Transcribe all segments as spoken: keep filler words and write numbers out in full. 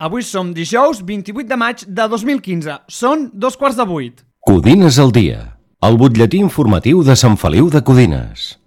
Avui som dijous vint-i-vuit de maig de dos mil quinze. Són dos quarts de vuit. Codines al dia, el butlletí informatiu de Sant Feliu de Codines.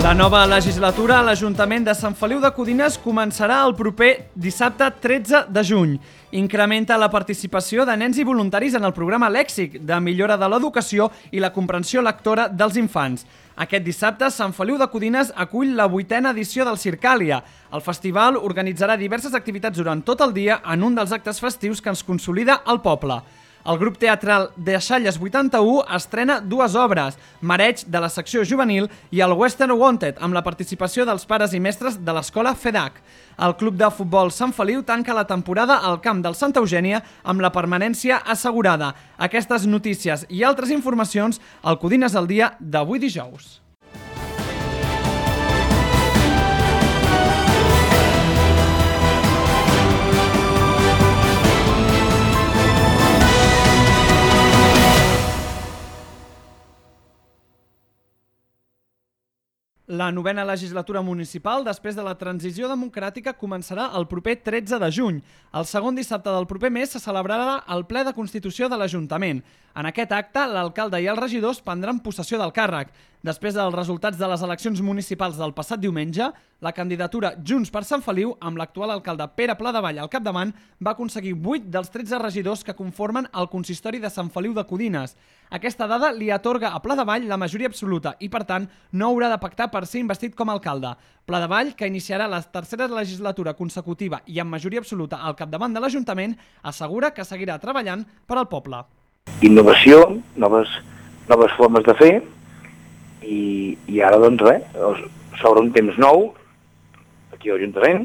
La nova legislatura a l'Ajuntament de Sant Feliu de Codines començarà el proper dissabte tretze de juny. Incrementa la participació de nens i voluntaris en el programa Lèxic, de millora de l'educació i la comprensió lectora dels infants. Aquest dissabte, Sant Feliu de Codines acull la vuitena edició del Circàlia. El festival organitzarà diverses activitats durant tot el dia en un dels actes festius que ens consolida al poble. El grup teatral Deixalles vuitanta-u estrena dues obres, Mareig, de la secció juvenil, i el Western Wanted, amb la participació dels pares i mestres de l'escola FEDAC. El club de futbol Sant Feliu tanca la temporada al camp del Santa Eugènia amb la permanència assegurada. Aquestes notícies i altres informacions al Codines al dia d'avui dijous. La novena legislatura municipal, després de la transició democràtica, començarà el proper tretze de juny. El segon dissabte del proper mes se celebrarà el ple de Constitució de l'Ajuntament. En aquest acte, l'alcalde i els regidors prendran possessió del càrrec. Després dels resultats de les eleccions municipals del passat diumenge, la candidatura Junts per Sant Feliu, amb l'actual alcalde Pere Pladevall al capdavant, va aconseguir vuit dels tretze regidors que conformen el consistori de Sant Feliu de Codines. Aquesta dada li atorga a Pladevall la majoria absoluta i, per tant, no haurà de pactar per ser investit com a alcalde. Pladevall, que iniciarà la tercera legislatura consecutiva i amb majoria absoluta al capdavant de l'Ajuntament, assegura que seguirà treballant per al poble. Innovació, noves, noves formes de fer, i, i ara, doncs, res, s'obre un temps nou aquí a l'Ajuntament,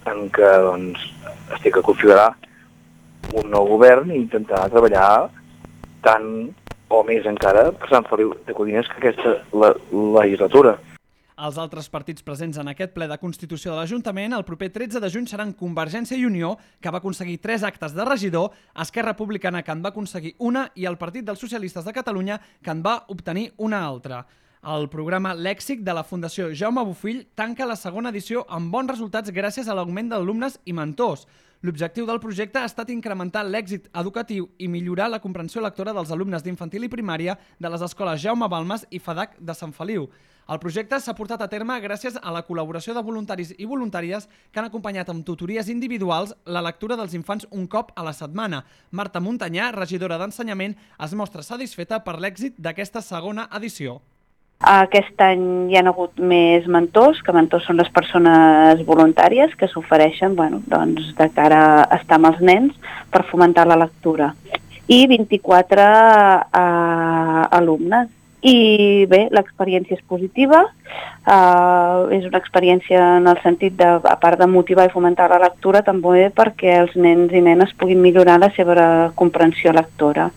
en què, doncs, estic a configurar un nou govern i intentar treballar tant o més encara per Sant Feliu de Codines que aquesta la, legislatura. Els altres partits presents en aquest ple de Constitució de l'Ajuntament el proper tretze de juny seran Convergència i Unió, que va aconseguir tres actes de regidor, Esquerra Republicana, que en va aconseguir una, i el Partit dels Socialistes de Catalunya, que en va obtenir una altra. El programa Lèxic de la Fundació Jaume Bofill tanca la segona edició amb bons resultats gràcies a l'augment d'alumnes i mentors. L'objectiu del projecte ha estat incrementar l'èxit educatiu i millorar la comprensió lectora dels alumnes d'infantil i primària de les escoles Jaume Balmes i FEDAC de Sant Feliu. El projecte s'ha portat a terme gràcies a la col·laboració de voluntaris i voluntàries que han acompanyat amb tutories individuals la lectura dels infants un cop a la setmana. Marta Montanyà, regidora d'Ensenyament, es mostra satisfeta per l'èxit d'aquesta segona edició. Aquest any hi ha hagut més mentors, que mentors són les persones voluntàries que s'ofereixen, bueno, doncs, de cara a estar amb els nens per fomentar la lectura. I vint-i-quatre eh, alumnes. I bé, l'experiència és positiva, eh, és una experiència en el sentit de, a part de motivar i fomentar la lectura, també perquè els nens i nenes puguin millorar la seva comprensió lectora.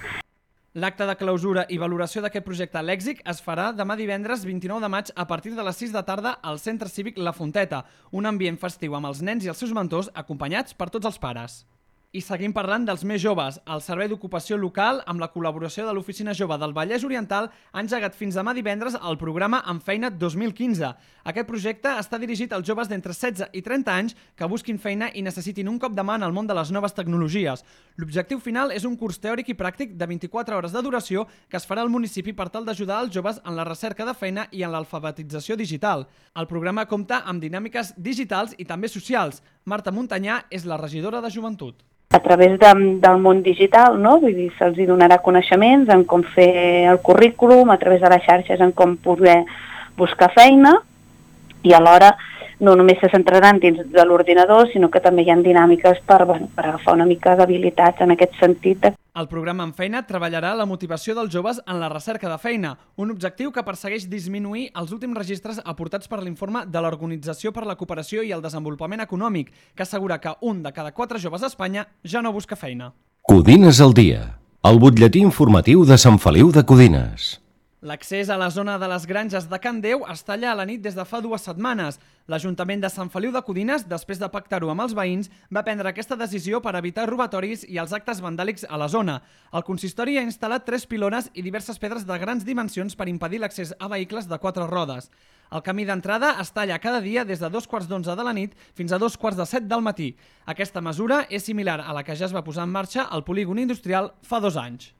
L'acte de clausura i valoració d'aquest projecte Lèxic es farà demà divendres vint-i-nou de maig a partir de les sis de tarda al Centre Cívic La Fonteta, un ambient festiu amb els nens i els seus mentors acompanyats per tots els pares. I seguim parlant dels més joves. El Servei d'Ocupació Local, amb la col·laboració de l'Oficina Jove del Vallès Oriental, ha engegat fins demà divendres el programa Amb Feina dos mil quinze. Aquest projecte està dirigit als joves d'entre setze i trenta anys que busquin feina i necessitin un cop de mà en el món de les noves tecnologies. L'objectiu final és un curs teòric i pràctic de vint-i-quatre hores de duració que es farà al municipi per tal d'ajudar els joves en la recerca de feina i en l'alfabetització digital. El programa compta amb dinàmiques digitals i també socials. Marta Montanyà és la regidora de Joventut. A través de, del món digital, no? Vull dir, se'ls donarà coneixements en com fer el currículum, a través de les xarxes en com poder buscar feina, i alhora no només se centraran dins de l'ordinador, sinó que també hi ha dinàmiques per, bueno, per agafar una mica d'habilitats en aquest sentit. De... El programa En Feina treballarà la motivació dels joves en la recerca de feina, un objectiu que persegueix disminuir els últims registres aportats per l'informe de l'Organització per la Cooperació i el Desenvolupament Econòmic, que assegura que un de cada quatre joves a Espanya ja no busca feina. Codines al dia, el butlletí informatiu de Sant Feliu de Codines. L'accés a la zona de les granges de Can Déu es talla a la nit des de fa dues setmanes. L'Ajuntament de Sant Feliu de Codines, després de pactar-ho amb els veïns, va prendre aquesta decisió per evitar robatoris i els actes vandàlics a la zona. El consistori ha instal·lat tres pilones i diverses pedres de grans dimensions per impedir l'accés a vehicles de quatre rodes. El camí d'entrada es talla cada dia des de dos quarts d'onze de la nit fins a dos quarts de set del matí. Aquesta mesura és similar a la que ja es va posar en marxa al polígon industrial fa dos anys.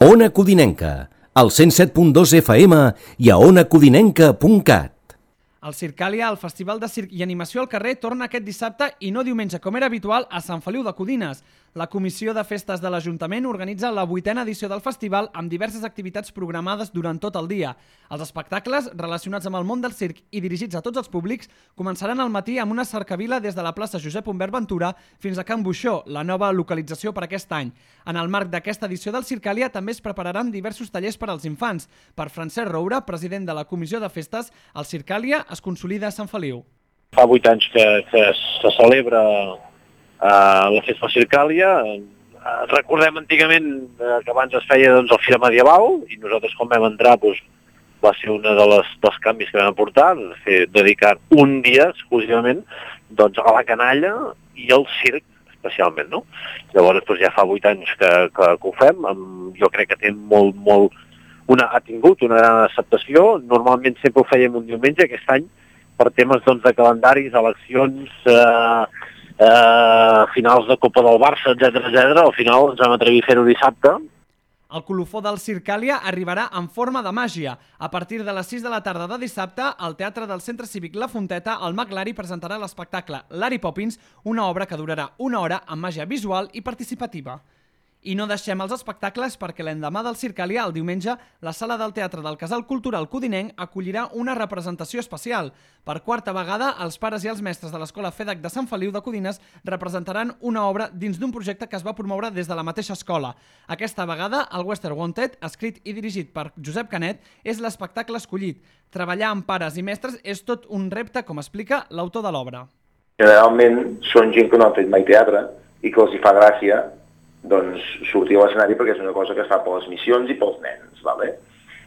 Ona Codinenca, al cent set punt dos F M i a ona codinenca punt cat. El Circàlia, el Festival de Circ i Animació al carrer, torna aquest dissabte i no diumenge, com era habitual, a Sant Feliu de Codines. La Comissió de Festes de l'Ajuntament organitza la vuitena edició del festival amb diverses activitats programades durant tot el dia. Els espectacles, relacionats amb el món del circ i dirigits a tots els públics, començaran al matí amb una cercavila des de la plaça Josep Humbert Ventura fins a Can Buixó, la nova localització per aquest any. En el marc d'aquesta edició del Circàlia també es prepararan diversos tallers per als infants. Per Francesc Roura, president de la Comissió de Festes, el Circàlia es consolida a Sant Feliu. Fa vuit anys que, que se celebra Uh, la festa Circàlia. Uh, recordem antigament uh, que abans es feia doncs, el Fira Medieval i nosaltres quan vam entrar doncs, va ser un de les, dels canvis que vam aportar, fer, dedicar un dia exclusivament doncs, a la canalla i al circ especialment. No? Llavors doncs, ja fa vuit anys que, que, que ho fem, amb, jo crec que té molt, molt, una, ha tingut una gran acceptació. Normalment sempre ho fèiem un diumenge, aquest any per temes doncs, de calendaris, eleccions, uh, Uh, finals de Copa del Barça, etcètera, etcètera. Al final ens vam atrevir a fer-ho dissabte. El colofó del Circàlia arribarà en forma de màgia. A partir de les sis de la tarda de dissabte, al Teatre del Centre Cívic La Fonteta, el mag Lari presentarà l'espectacle Lari Poppins, una obra que durarà una hora amb màgia visual i participativa. I no deixem els espectacles perquè l'endemà del Circàlia, el diumenge, la sala del Teatre del Casal Cultural Codinenc acollirà una representació especial. Per quarta vegada, els pares i els mestres de l'Escola FEDEC de Sant Feliu de Codines representaran una obra dins d'un projecte que es va promoure des de la mateixa escola. Aquesta vegada, el Western Wanted, escrit i dirigit per Josep Canet, és l'espectacle escollit. Treballar amb pares i mestres és tot un repte, com explica l'autor de l'obra. Generalment són gent que no han fet mai teatre i que els hi fa gràcia doncs sortir a l'escenari perquè és una cosa que es fa per les missions i pels nens, vale?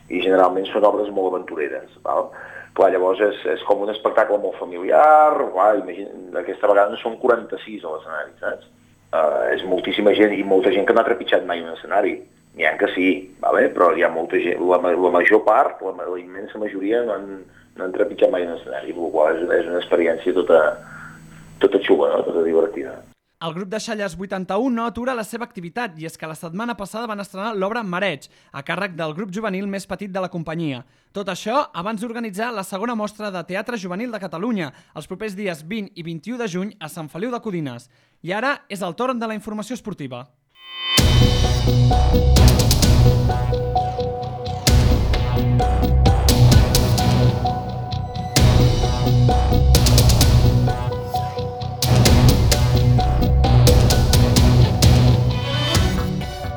I generalment són obres molt aventureres. Val? Clar, llavors és, és com un espectacle molt familiar, clar, imagina, aquesta vegada són quaranta-sis a l'escenari, saps? Uh, és moltíssima gent i molta gent que no ha trepitjat mai un escenari. N'hi ha que sí, vale? Però hi ha molta gent, la, la major part, la, la immensa majoria no han, no han trepitjat mai un escenari, per la qual és, és una experiència tota, tota xula, no? Tota divertida. El grup de Xalles vuitanta-u no atura la seva activitat i és que la setmana passada van estrenar l'obra Mareig, a càrrec del grup juvenil més petit de la companyia. Tot això abans d'organitzar la segona mostra de teatre juvenil de Catalunya, els propers dies vint i vint-i-u de juny a Sant Feliu de Codines. I ara és el torn de la informació esportiva.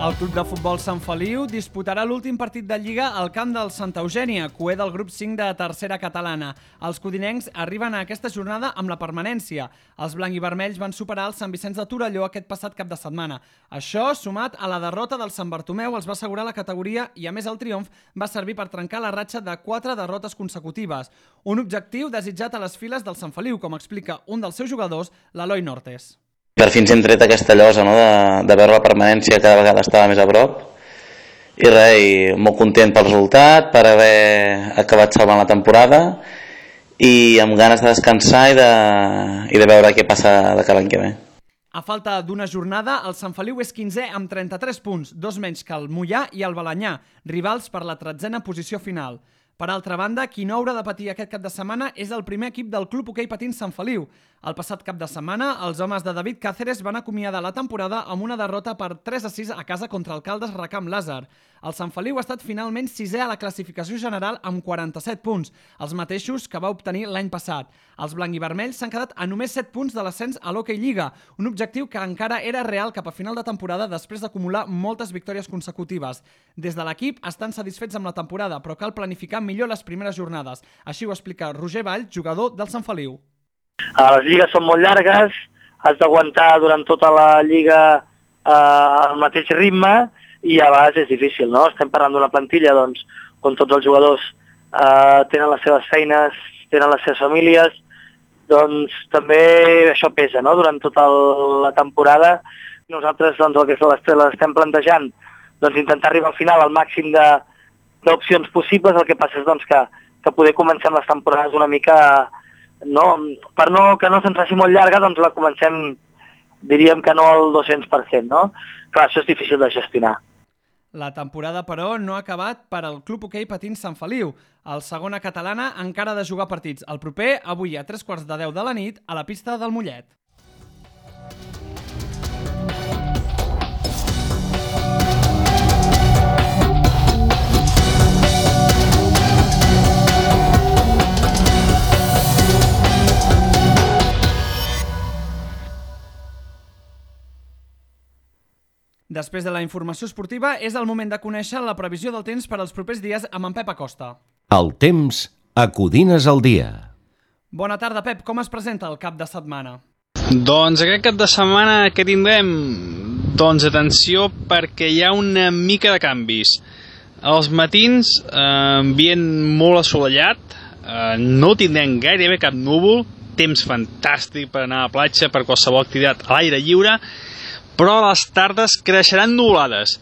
El Club de Futbol Sant Feliu disputarà l'últim partit de Lliga al camp del Santa Eugènia, cué del grup cinc de tercera catalana. Els codinencs arriben a aquesta jornada amb la permanència. Els blanc i vermells van superar el Sant Vicenç de Torelló aquest passat cap de setmana. Això, sumat a la derrota del Sant Bartomeu, els va assegurar la categoria i, a més, el triomf va servir per trencar la ratxa de quatre derrotes consecutives. Un objectiu desitjat a les files del Sant Feliu, com explica un dels seus jugadors, l'Eloi Nortes. Per fi ens hem tret aquesta llosa, no? de, de veure la permanència cada vegada estava més a prop i res, i molt content pel resultat, per haver acabat salvant la temporada i amb ganes de descansar i de, i de veure què passa de cada any que ve. A falta d'una jornada, el Sant Feliu és quinzè amb trenta-tres punts, dos menys que el Moià i el Balanyà, rivals per la tretzena posició final. Per altra banda, qui no haurà de patir aquest cap de setmana és el primer equip del Club Hoquei Patins Sant Feliu. El passat cap de setmana, els homes de David Cáceres van acomiadar la temporada amb una derrota per tres a sis a casa contra el Caldes Recamp Làser. El Sant Feliu ha estat finalment sisè a la classificació general amb quaranta-set punts, els mateixos que va obtenir l'any passat. Els blanc i vermells s'han quedat a només set punts de l'ascens a l'Hoquei Lliga, un objectiu que encara era real cap a final de temporada després d'acumular moltes victòries consecutives. Des de l'equip estan satisfets amb la temporada, però cal planificar millor les primeres jornades. Així ho explica Roger Vall, jugador del Sant Feliu. Les lligues són molt llargues, has d'aguantar durant tota la lliga eh, al mateix ritme i a vegades és difícil, no? Estem parlant d'una plantilla doncs, on tots els jugadors eh, tenen les seves feines, tenen les seves famílies, doncs també això pesa, no?, durant tota la temporada. Nosaltres doncs, el que l'estem plantejant, doncs intentar arribar al final al màxim d'opcions possibles. El que passa és doncs, que, que poder comencem les temporades una mica, no, per no, que no se'ns faci molt llarga, doncs la comencem, diríem que no al dos-cents per cent, no? Clar, això és difícil de gestionar. La temporada, però, no ha acabat per al Club Hoquei Patins Sant Feliu. El segona catalana encara ha de jugar partits. El proper, avui a tres quarts de deu de la nit, a la pista del Mollet. Després de la informació esportiva, és el moment de conèixer la previsió del temps per als propers dies amb en Pep Acosta. El temps a Codines al dia. Bona tarda, Pep. Com es presenta el cap de setmana? Doncs aquest cap de setmana que tindrem? Doncs atenció, perquè hi ha una mica de canvis. Els matins, eh, ambient molt assolellat, eh, no tindrem gairebé cap núvol, temps fantàstic per anar a la platja, per qualsevol activitat a l'aire lliure, però a les tardes creixeran nuvolades.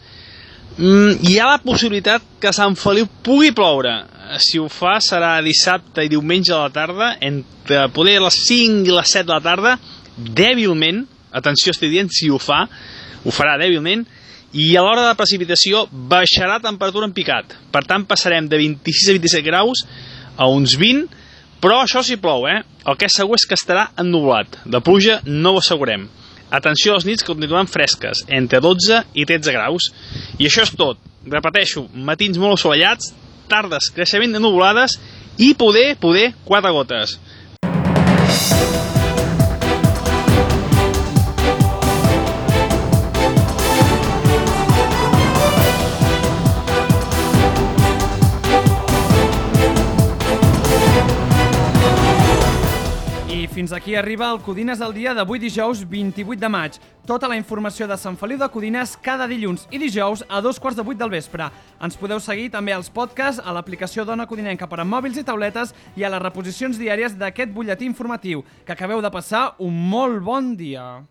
Mm, hi ha la possibilitat que a Sant Feliu pugui ploure. Si ho fa serà dissabte i diumenge a la tarda, entre poder les cinc i les set de la tarda, dèbilment, atenció, estic dient, si ho fa, ho farà dèbilment, i a l'hora de precipitació baixarà temperatura en picat. Per tant, passarem de vint-i-sis a vint-i-set graus a uns vint, però això sí plou, eh? El que és segur és que estarà ennuvolat. De pluja no ho assegurem. Atenció a les nits que continuen fresques, entre dotze i tretze graus. I això és tot. Repeteixo, matins molt assolellats, tardes creixement de nuvolades i poder, poder, quatre gotes. Fins aquí arriba el Codines al dia d'avui dijous vint-i-vuit de maig. Tota la informació de Sant Feliu de Codines cada dilluns i dijous a dos quarts de vuit del vespre. Ens podeu seguir també als podcasts, a l'aplicació d'Ona Codinenca per a mòbils i tauletes i a les reposicions diàries d'aquest butlletí informatiu. Que acabeu de passar un molt bon dia.